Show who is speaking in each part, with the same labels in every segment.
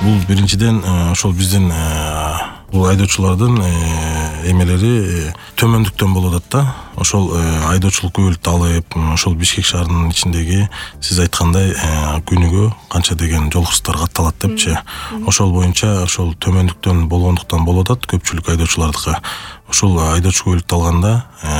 Speaker 1: Бул биринчиден ошол биздин бул айдоочулардын эмелери төмөндүктөн болуп атат да. Ошол айдоочулук күбөлүктү алып, ошол Бишкек шаарынын ичиндеги сиз айткандай күнүгө канча деген жол кырсыктар катталат депчи. Ошол боюнча ошол төмөндүктөн болгондуктан болуп атат көпчүлүк айдоочулардыкы. Ошол айдоочу күбөлүктү алганда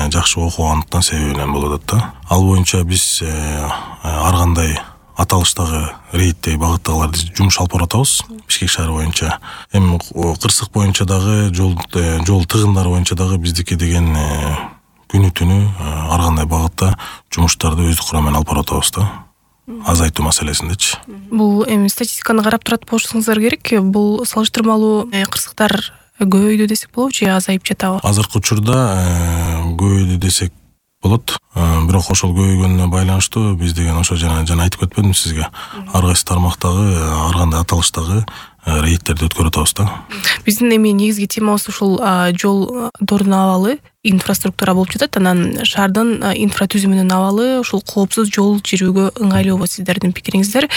Speaker 1: жакшы окугандыктан себебинен болуп атат да. Ал боюнча биз ар кандай аталыштагы рейдтеги багыттагыларды жумуш алып баратабыз Бишкек шаары боюнча. Эми кырсык боюнча дагы жол тыгындары боюнча дагы биздики деген күнү түнү ар кандай багытта жумуштарды өздүк курамы менен алып баратабыз да. Азайтуу маселесиндечи.
Speaker 2: Бул эми статистиканы карап турат болушуңуздар керек. Бул салыштырмалуу кырсыктар көбөйдү десек болобу же азайып жатабы?
Speaker 1: Азыркы учурда көбөйдү десек болот. Бирок ошол көбөйгөнүнө байланыштуу биз деген ошо жана айтып кетпедимби сизге? Ар кайсы тармактагы, ар кандай аталыштагы рейдтерди өткөрүп атабыз да.
Speaker 2: Биздин эми негизги темабыз ушул жолдордун абалы, инфраструктура болуп жатат. Анан шаардын инфратүзүмүнүн абалы, ушул коопсуз жол жүрүүгө ыңгайлуубу сиздердин пикириңиздер?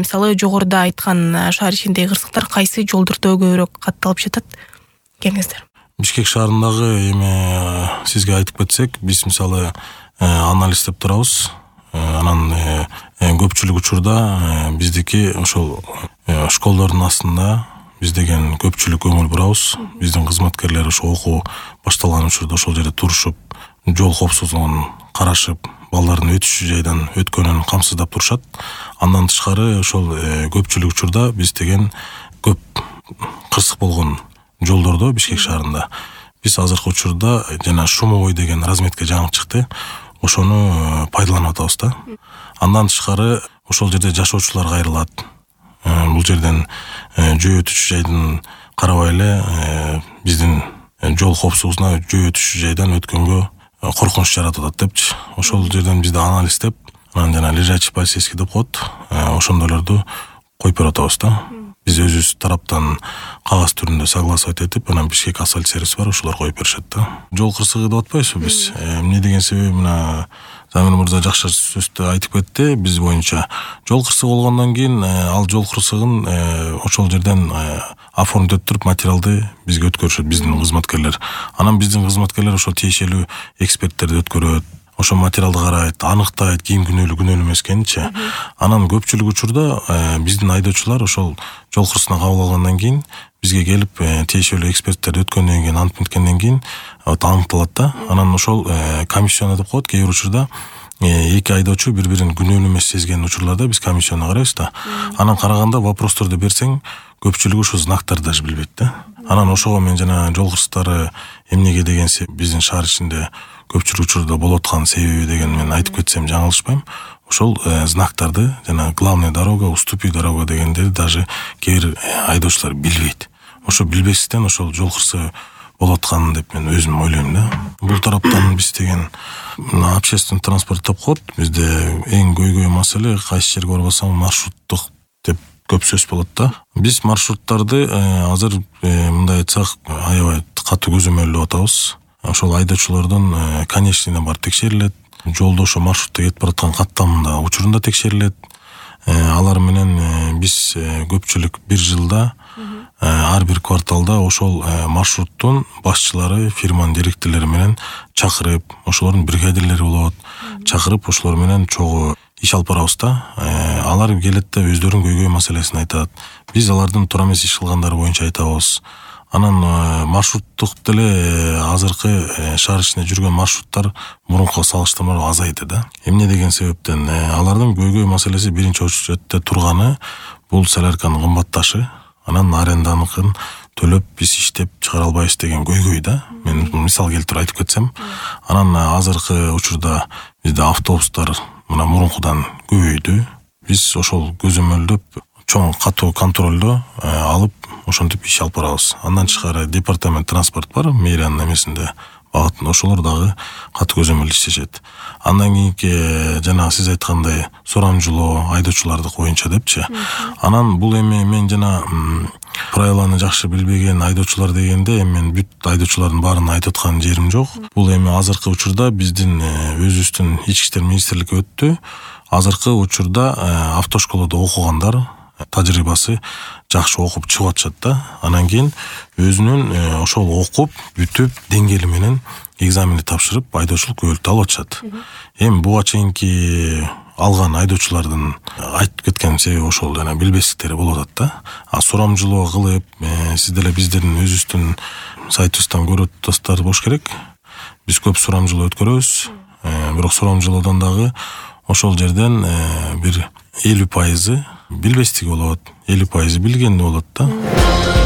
Speaker 2: Мисалы жогоруда айткан шаар ичиндеги кырсыктар кайсы жолдордо көбүрөөк катталып жатат? Келиңиздер.
Speaker 1: Бишкек шаарындагы эми сизге айтып кетсек, биз мисалы анализдеп турабыз. Анан көпчүлүк учурда биздики ошол школдордун астында биз деген көпчүлүк көңүл бурабыз. Биздин кызматкерлер ошо окуу башталган учурда ошол жерде турушуп, жол коопсуздугун карашып, балдардын өтүшү жайдан өткөнүн камсыздап турушат. Андан тышкары ошол көпчүлүк учурда биз деген көп кырсык болгон жолдордо Бишкек шаарында биз азыркы учурда жана шумовой деген разметка жаңы чыкты. Ошону пайдаланып атабыз да. Андан тышкары ошол жерде жашоочулар кайрылат. Бул жерден жөө өтүшү жайдын карабай эле биздин жол коопсуздугуна жөө өтүшү жайдан өткөнгө коркунуч жаратып атат депчи. Ошол жерден бизде анализдеп, анан жана лежачий полицейский деп коет. Ошондойлорду коюп берип атабыз да. Биз өзүбүз тараптан кагаз түрүндө согласовать этип, анан Бишкек асфальт сервис бар, ошолор коюп беришет да. Жол кырсыгы деп атпайбызбы биз? Эмне деген себеби мына Замир мырза жакшы сөздө айтып кетти. Биз боюнча жол кырсыгы болгондон кийин ал жол кырсыгын ошол жерден оформить өттүрүп материалды бизге өткөрүшөт биздин кызматкерлер. Анан биздин кызматкерлер ошо тиешелүү эксперттерди өткөрөт. Ошо материалды карайт, аныктайт, ким күнөөлүү эмес экенинчи. Анан көпчүлүк учурда биздин айдоочулар ошол жол кырсыгына кабыл алгандан кийин бизге келип тиешелүү эксперттерди өткөндөн кийин ант меткенден кийин аныкталат да. Анан ошол комиссионно деп коет. Кээ бир учурда эки айдоочу бири-бирин күнөөлүү эмес сезген учурларда биз комиссионно карайбыз да. Анан караганда вопросторду берсең, көпчүлүгү ушу знактарды даже билбейт да. Анан ошого мен жана жол кырсыктары эмнеге деген биздин шаар ичинде көпчүлүк учурда болуп аткан себеби деген мен айтып кетсем жаңылышпайм. Ошол знактарды жана главная дорога, уступи дорога дегендерди даже кээ бир айдоочулар билбейт. Ошо билбестен ошол жол кырсыгы болуп аткан деп мен өзүм ойлойм да. Бул тараптан биз деген общественный транспорт деп коет. Бизде эң көйгөй маселе кайсы жерге барбасаң маршруттук деп көп сөз болот да. Биз маршруттарды азыр мындай айтсак аябай катуу көзөмөлдөп атабыз. Ошол айдоочулардын конечныйына бар текшерилет. Жолдо ошо маршрутта кетип бараткан каттамында учурунда текшерилет. Алар менен биз көпчүлүк бир жылда ар бир кварталда ошол маршруттун башчылары, фирманын директорлору менен чакырып, ошолордун бригадирлери болот, чакырып ошолор менен чогуу иш алып барабыз да. Алар келет да өздөрүнүн көйгөй маселесин айтат. Биз алардын туура эмес иш кылгандары боюнча айтабыз. Анан маршруттук деле азыркы шаар ичинде жүргөн маршруттар мурункуга салыштырмалуу азайды да. Эмне деген себептен? Алардын көйгөй маселеси биринчи очередде турганы бул солярканын кымбатташы. Анан аренданыкын төлөп биз иштеп чыгара албайбыз деген көйгөй да. Мен мисал келтирип айтып кетсем. Анан азыркы учурда бизде автобустар мына мурункудан көбөйдү. Биз ошол көзөмөлдөп чоң катуу контролдо алып ошентип иш алып барабыз. Андан тышкары департамент транспорт бар, мэриянын эмесинде багытында ошолор дагы катуу көзөмөл иштешет. Андан кийинки жана сиз айткандай сурамжылоо айдоочулардык боюнча депчи. Анан бул эми мен жана правиланы жакшы билбеген айдоочулар дегенде мен бүт айдоочулардын баарын айтып аткан жерим жок. Бул эми азыркы учурда биздин өзүбүздүн ички иштер министрликке өттү. Азыркы учурда автошколодо окугандар тажрыйбасы жакшы окуп чыгып атышат да. Анан кийин өзүнүн ошол окуп бүтүп деңгээли менен экзаменди тапшырып айдоочулук күбөлүктү алып атышат. Эми буга чейинки алган айдоочулардын айтып кеткен себеби ошол жана билбестиктери болуп атат да. Сурамжылоо кылып, сиз деле биздин өзүбүздүн сайтыбыздан көрүп атасыздар болуш керек. Биз көп сурамжылоо өткөрөбүз. Бирок сурамжылоодон дагы ошол жерден бир 50% билбестиги болот, 50% билгени болот да.